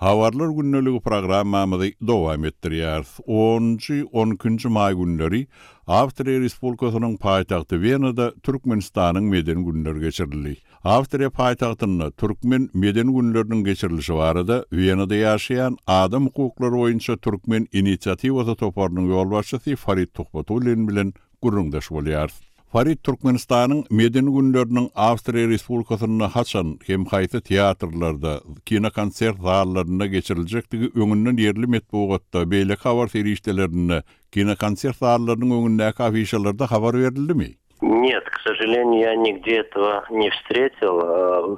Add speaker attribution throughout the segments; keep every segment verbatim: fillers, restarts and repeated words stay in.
Speaker 1: Habarlar gündeligi programmamyzy dowam etdirýäris. Onunjy, on ikinji maý günleri Awstriýa Respublikasynyň paýtagty Wenada Türkmenistanyň medeni günleri geçirildi. Awstriýa paýtagtynda türkmen medeni günleriniň geçirilişi barada Wenada ýaşaýan adam hukuklary boýunça Türkmen inisiatiwasy toparynyň ýolbaşçysy Farid Tuhbatullin bilen gürrüňdeş bolýarys. Farid, Türkmenistanyň medeni günleriniň Awstriýa Respublikasynda haçan hem haýsy teatrlarda, kinokonsert zallarynda geçiriljekdigi öňünden ýerli metbugatda, beýleki habar serişdelerinde, kinokonsert zallarynyň öňündäki afişalarda habar berildimi?
Speaker 2: Нет, к сожалению, я nigде этого не встретил.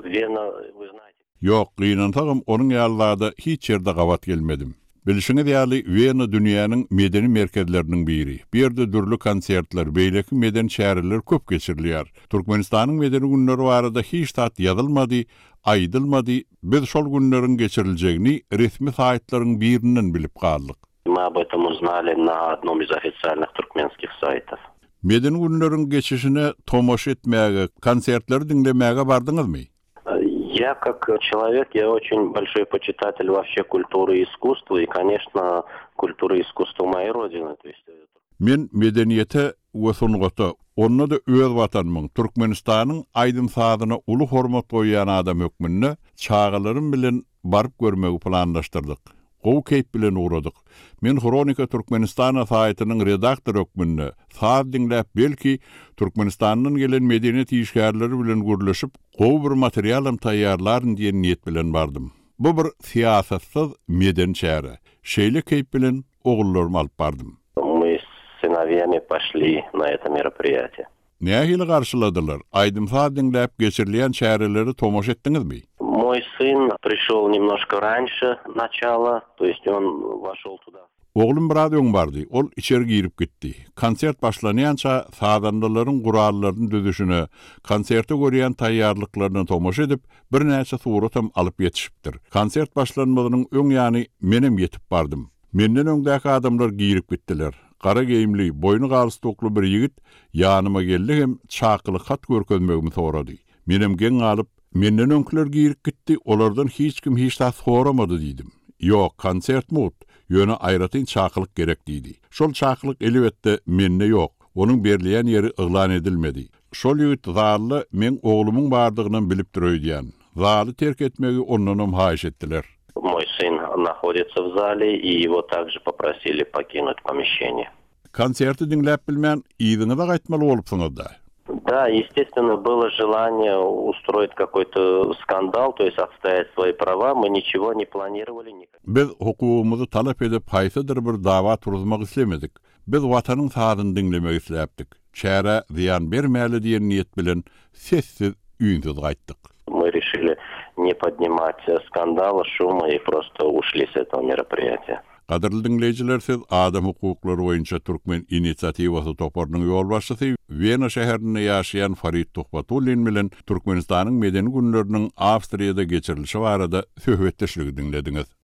Speaker 2: Вена, вы знаете.
Speaker 1: Ýok, gynansagam onuň ýaly zada hiç ýerde gabat gelmedim. Bilşiňiz ýaly, Wena dünýäniň medeni merkezleriniň biri. Bu ýerde dürli konsertler, beýleki medeni çäreler köp geçirilýär. Türkmenistanyň medeni günleri barada hiç zat ýazylmady, aýdylmady. Biz şol günleriň geçiriljegini resmi saýtlaryň birinden bilip galdyk.
Speaker 2: Мы об этом узнали на одном из официальных туркменских сайтов.
Speaker 1: Medeni günleriň geçişine tomaşa etmäge, konsertleri diňlemäge bardyňyzmy?
Speaker 2: Я как человек, я очень большой почитатель вообще культуры и искусства, и, конечно, культуры и искусства моей родины. То есть
Speaker 1: Men medeniýete we sungata, onda-da öz watanymyň, Türkmenistanyň aýdym-sazyna uly hormat goýýan adam hökmünde çagalarym bilen baryp görmegi planlaşdyrdyk. Gowy keýp bilen ugradyk. Men Hronika Türkmenistana saýtynyň redaktory hökmünde saz diňläp, belki Türkmenistandan gelen medeniýet işgärleri bilen gürleşip, gowy bir materialam taýýarlaryn diýen niýet bilen bardym. Bu bir syýasatsyz medeni çäre. Şeýle keýp bilen ogullarymy alyp bardym.
Speaker 2: Мы с сыновьями пошли на это мероприятие.
Speaker 1: Nähili garşyladylar? Aýdym-saz diňläp geçirilýän çäreleri tomaşa etdiňizmi?
Speaker 2: Мой сын пришел немножко раньше начала, то есть он вошел туда.
Speaker 1: Oglum biraz öň bardy. Ol içeri girip gitdi. Konsert başlanýança sazandalaryň gurallaryny düzüşine, konserte görýän taýýarlyklaryna tomaşa edip, birnäçe suratam alyp ýetişipdir. Konsert başlanmagynyň öň ýany menem ýetip bardym. Menden öňdäki adamlar girip gitdiler. Gara geýimli, boýny galstukly bir ýigit ýanyma geldi hem çakylyk hat görkezmegimi sorady. Menem geň galyp, menden öňküler girip gitdi, olardan hiç kim hiç zat soramady diýdim. Ýok, konsert mugt, ýöne aýratyn çakylyk gerek diýdi. Şol çakylyk elbetde mende ýok. Onuň berilýän ýeri yglan edilmedi. Şol ýigit zalda meň oglumyň bardygynam bilip öýdýän. Zaly terk etmegi ondanam haýyş etdiler.
Speaker 2: Мой сын находится в зале, и его также попросили покинуть помещение.
Speaker 1: Konserti diňläp bilmän, yzyňyza gaýtmaly bolupsyňyz-da.
Speaker 2: Да, естественно, было желание устроить какой-то скандал, то есть отстоять свои права. Мы ничего не планировали.
Speaker 1: Biz hukugymyzy talap edip haýsydyr bir dawa turuzmak islemedik. Biz watanyň sazyny diňlemek isläpdik. Çärä zyýan bermäli diýen niýet bilen sessiz üýnsüz gaýtdyk.
Speaker 2: Мы решили не поднимать скандала, шума и просто ушли с этого мероприятия.
Speaker 1: Gadyrly diňleýjiler, siz adam hukuklary boýunça Türkmen inisiatiwasy toparynyň ýolbaşçysy Wena şäherinde ýaşaýan Farid Tuhbatullin bilen Türkmenistanyň medeni günleriniň Awstriýada geçirilişi barada söhbetdeşligi diňlediňiz.